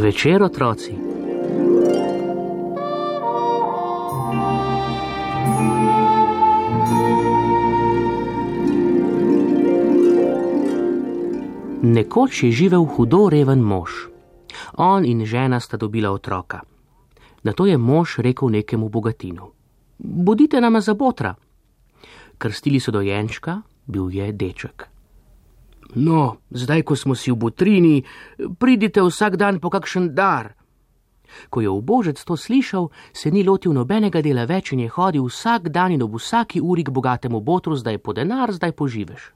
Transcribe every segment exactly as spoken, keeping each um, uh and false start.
Dober večer, otroci. Nekoč je živel hudo reven mož. On in žena sta dobila otroka. Nato je mož rekel nekemu bogatinu: bodite nama za botra. Krstili so dojenčka, bil je deček. No, zdaj, ko smo si v botrini, pridite vsak dan po kakšen dar. Ko je ubožec to slišal, se ni lotil nobenega dela več in je hodil vsak dan in ob vsaki uri k bogatemu botru, zdaj po denar, zdaj po živež.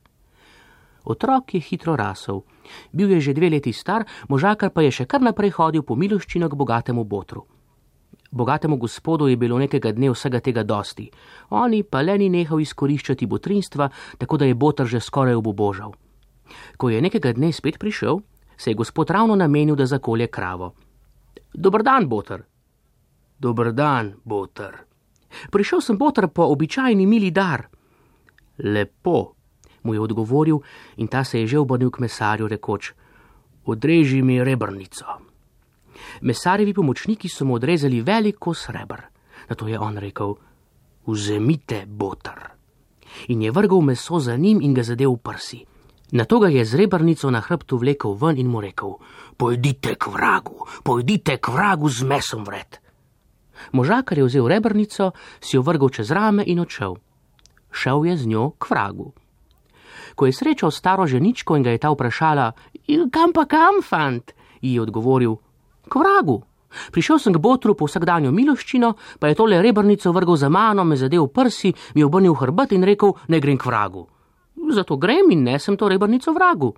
Otrok je hitro rasel. Bil je že dve leti star, možakar pa je še kar naprej hodil po miloščino k bogatemu botru. Bogatemu gospodu je bilo nekega dne vsega tega dosti. Oni pa le ni nehal izkoriščati botrinstva, tako da je botr že skoraj obubožal. Ko je nekega dne spet prišel, se je gospod ravno namenil, da zakolje kravo. Dober dan, botr. Dober dan, botr. Prišel sem, botr, po običajni mili dar. Lepo, mu je odgovoril in ta se je že obrnil k mesarju, rekoč: odreži mi rebrnico. Mesarjevi pomočniki so mu odrezali velik kos reber. Nato je on rekel: vzemite, botr. In je vrgel meso za njim in ga zadel v prsi. Nato ga je z rebrnico na hrbtu vlekel ven in mu rekel: pojdite k vragu, pojdite k vragu z mesom vred. Možakar je vzel rebrnico, si jo vrgel čez rame in odšel. Šel je z njo k vragu. Ko je srečal staro ženičko in ga je ta vprašala: kam pa kam, fant? Ji je odgovoril: k vragu. Prišel sem k botru po vsakdanjo miloščino, pa je tole rebrnico vrgel za mano, me zadel v prsi, mi obrnil hrbet in rekel, ne grem k vragu. Zato grem in nesem to rebrnico vragu.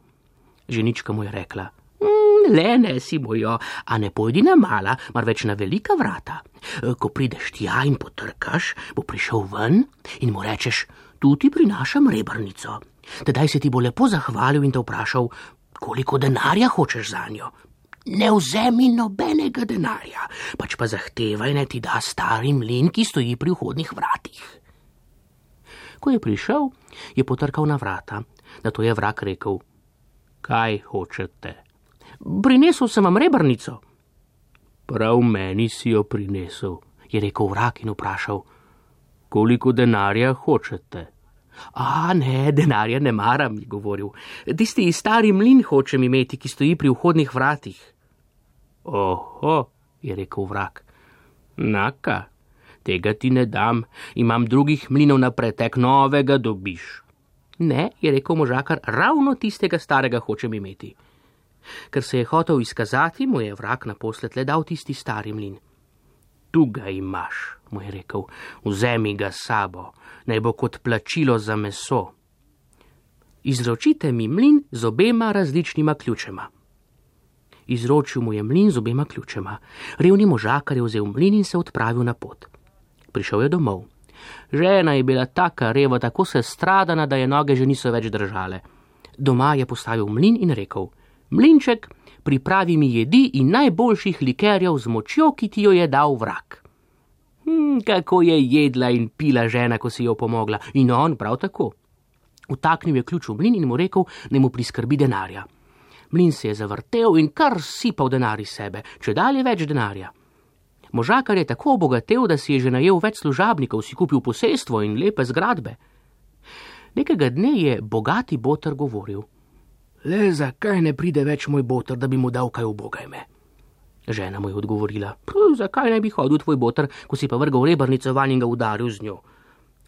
Ženička mu je rekla: mm, le nesi mojo, a ne pojdi na mala, marveč na velika vrata. Ko prideš tja in potrkaš, bo prišel ven in mu rečeš: tu ti prinašam rebrnico. Tedaj se ti bo lepo zahvalil in te vprašal, koliko denarja hočeš zanjo. Ne vzemi nobenega denarja, pač pa zahtevaj, naj ti da stari mlin, ki stoji pri vhodnih vratih. Ko je prišel, je potrkal na vrata. Nato je vrag rekel: kaj hočete? Prinesel sem vam rebrnico. Prav meni si jo prinesel, je rekel vrag in vprašal: koliko denarja hočete? A ne, denarja ne maram, je govoril. Tisti stari mlin hočem imeti, ki stoji pri vhodnih vratih. Oho, je rekel vrag. Naka, tega ti ne dam, imam drugih mlinov na pretek, novega dobiš. Ne, je rekel možakar, ravno tistega starega hočem imeti. Ker se je hotel izkazati, mu je vrag naposled le dal tisti stari mlin. Tu ga imaš, mu je rekel, vzemi ga sabo, naj bo kot plačilo za meso. Izročite mi mlin z obema različnima ključema. Izročil mu je mlin z obema ključema. Revni možakar je vzel mlin in se odpravil na pot. Prišel je domov. Žena je bila taka reva, tako se stradana, da je noge že niso več držale. Doma je postavil mlin in rekel: mlinček, pripravi mi jedi in najboljših likerjev z močjo, ki ti jo je dal vrag. Hm, kako je jedla in pila žena, ko si jo pomogla, in on prav tako. Vtaknil je ključ v mlin in mu rekel, naj mu priskrbi denarja. Mlin se je zavrtel in kar sipal denar iz sebe, če dalje več denarja. Možakar je tako obogatel, da si je že najel več služabnikov, si kupil posestvo in lepe zgradbe. Nekega dne je bogati botr govoril: le zakaj ne pride več moj botr, da bi mu dal kaj ubogajme? Žena mu je odgovorila: zakaj ne bi hodil tvoj botr, ko si pa vrgal rebrnico vanj in ga udaril z njo?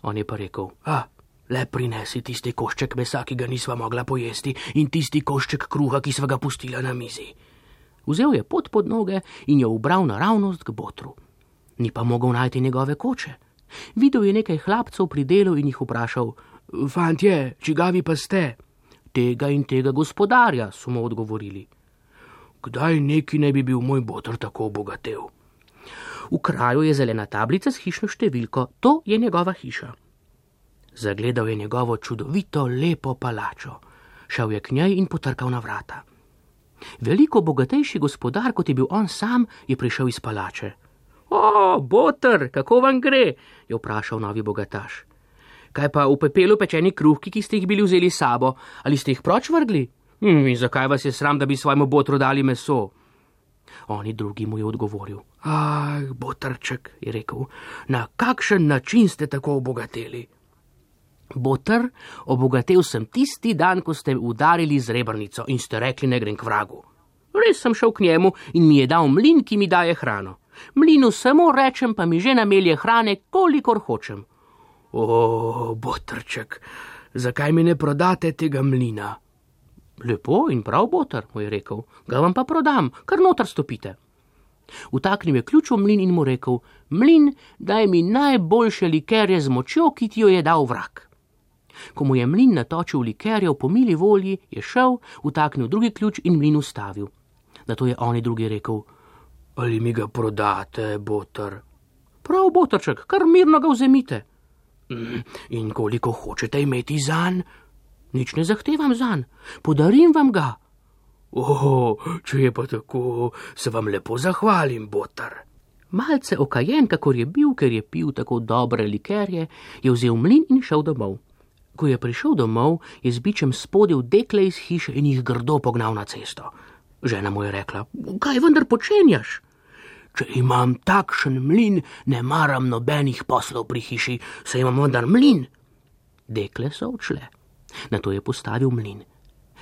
On je pa rekel: a, le prinesi tisti košček mesa, ki ga nisva mogla pojesti, in tisti košček kruha, ki sva ga pustila na mizi. Vzel je pot pod noge in jo ubral naravnost k botru. Ni pa mogel najti njegove koče. Videl je nekaj hlapcev pri delu in jih vprašal: fantje, čigavi pa ste? Tega in tega gospodarja, so mu odgovorili. Kdaj neki ne bi bil moj botr tako obogatel? V kraju je zelena tablica s hišno številko, to je njegova hiša. Zagledal je njegovo čudovito, lepo palačo. Šel je k njej in potrkal na vrata. Veliko bogatejši gospodar, kot je bil on sam, je prišel iz palače. O, botr, kako vam gre? Je vprašal novi bogataš. Kaj pa v pepelu pečeni kruhki, ki ste jih bili vzeli sabo, ali ste jih proč vrgli? Hm, in zakaj vas je sram, da bi svojemu botru dali meso? Oni drugi mu je odgovoril. Ah, botrček, je rekel, na kakšen način ste tako obogateli? Botr, obogatel sem tisti dan, ko ste udarili z rebrnico in ste rekli, ne grem k vragu. Res sem šel k njemu in mi je dal mlin, ki mi daje hrano. Mlinu samo rečem, pa mi že namelje hrane, kolikor hočem. O, botrček, zakaj mi ne prodate tega mlina? Lepo in prav, Botr, mu je rekel, ga vam pa prodam, kar noter stopite. Vtaknil je ključ v mlin in mu rekel, mlin, daj mi najboljše likerje z močjo, ki ti jo je dal vrag. Ko mu je mlin natočil likerjev po mili volji, je šel, vtaknil drugi ključ in mlin ustavil. Nato je oni drugi rekel, ali mi ga prodate, Botr? Prav, Botrček, kar mirno ga vzemite. In koliko hočete imeti zanj? Nič ne zahtevam zanj, podarim vam ga. O, če je pa tako, se vam lepo zahvalim, Botr. Malce okajen, kakor je bil, ker je pil tako dobre likerje, je vzel mlin in šel domov. Ko je prišel domov, je z bičem spodil dekle iz hiše in jih grdo pognal na cesto. Žena mu je rekla, kaj vendar počenjaš? Če imam takšen mlin, ne maram nobenih poslov pri hiši, saj imam vendar mlin. Dekle so odšle. Nato je postavil mlin.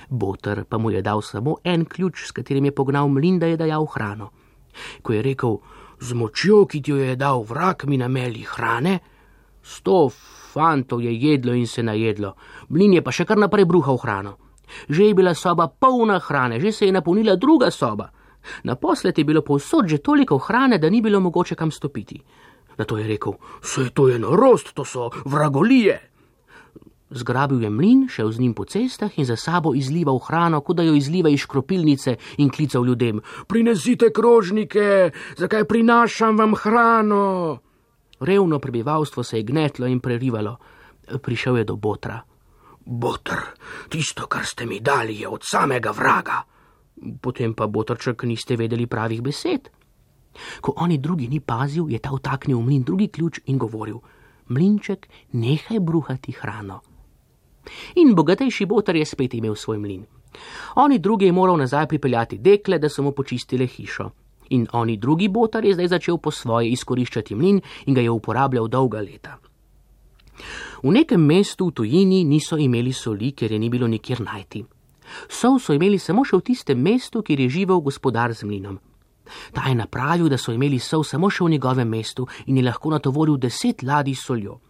Botr pa mu je dal samo en ključ, s katerim je pognal mlin, da je dajal hrano. Ko je rekel, z močjo, ki ti jo je dal vrag, mi nameli hrane, sto fantov je jedlo in se najedlo, mlin je pa še kar naprej bruhal hrano. Že je bila soba polna hrane, že se je napolnila druga soba. Naposled je bilo povsod že toliko hrane, da ni bilo mogoče kam stopiti. Nato je rekel, saj to je norost, to so vragolije. Zgrabil je mlin, šel z njim po cestah in za sabo izlival hrano, kot da jo izliva iz škropilnice, in klical ljudem, prinesite krožnike, zakaj prinašam vam hrano? Revno prebivalstvo se je gnetlo in prerivalo. Prišel je do Botra. Botr, tisto, kar ste mi dali, je od samega vraga. Potem pa, Botrček, niste vedeli pravih besed. Ko oni drugi ni pazil, je ta vtaknil v mlin drugi ključ in govoril, mlinček, nehaj bruhati hrano. In bogatejši Botr je spet imel svoj mlin. Oni drugi je moral nazaj pripeljati dekle, da so mu počistile hišo. In oni drugi Botr je zdaj začel po svoje izkoriščati mlin in ga je uporabljal dolga leta. V nekem mestu v tujini niso imeli soli, ker je ni bilo nikjer najti. Sol so imeli samo še v tistem mestu, kjer je živel gospodar z mlinom. Ta je napravil, da so imeli sol samo še v njegovem mestu in je lahko natovoril deset ladij s soljo.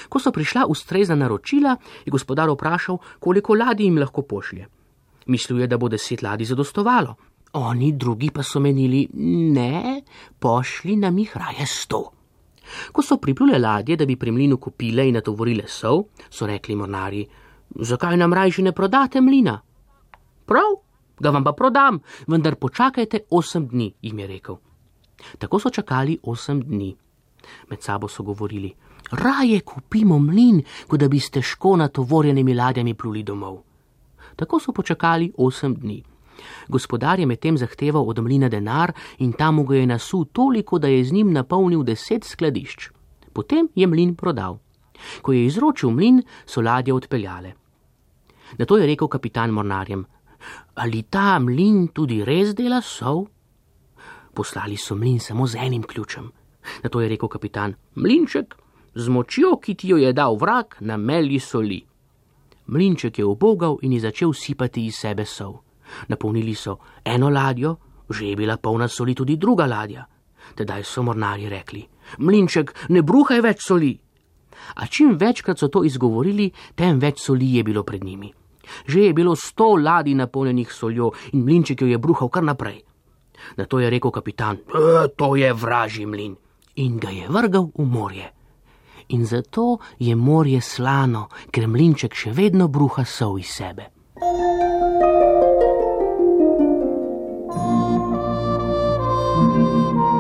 Ko so prišla ustrezna naročila, je gospodar vprašal, koliko ladij jim lahko pošlje. Mislil je, da bo deset ladij zadostovalo. Oni drugi pa so menili, ne, pošli nam jih raje sto. Ko so priplule ladje, da bi pri mlinu kupile in natovorile sol, so rekli mornarji, zakaj nam rajši ne prodate mlina? Prav, ga vam pa prodam, vendar počakajte osem dni, jim je rekel. Tako so čakali osem dni. Med sabo so govorili, raje kupimo mlin, kot da bi s težko natovorjenimi ladjami pluli domov. Tako so počakali osem dni. Gospodar je medtem zahteval od mlina denar in tam mu ga je nasul toliko, da je z njim napolnil deset skladišč. Potem je mlin prodal. Ko je izročil mlin, so ladje odpeljale. Nato je rekel kapitan mornarjem, ali ta mlin tudi res dela sol? Poslali so mlin samo z enim ključem. Nato je rekel kapitan, mlinček, z močjo, ki ti jo je dal vrag, nameli soli. Mlinček je ubogal in je začel sipati iz sebe sol. Napolnili so eno ladjo, že je bila polna soli tudi druga ladja. Tedaj so mornarji rekli, mlinček, ne bruhaj več soli. A čim večkrat so to izgovorili, tem več soli je bilo pred njimi. Že je bilo sto ladij napolnjenih soljo in mlinček jo je bruhal kar naprej. Nato je rekel kapitan, e, to je vražji mlin, in ga je vrgal v morje. In zato je morje slano, ker mlinček še vedno bruha sol iz sebe. Thank you.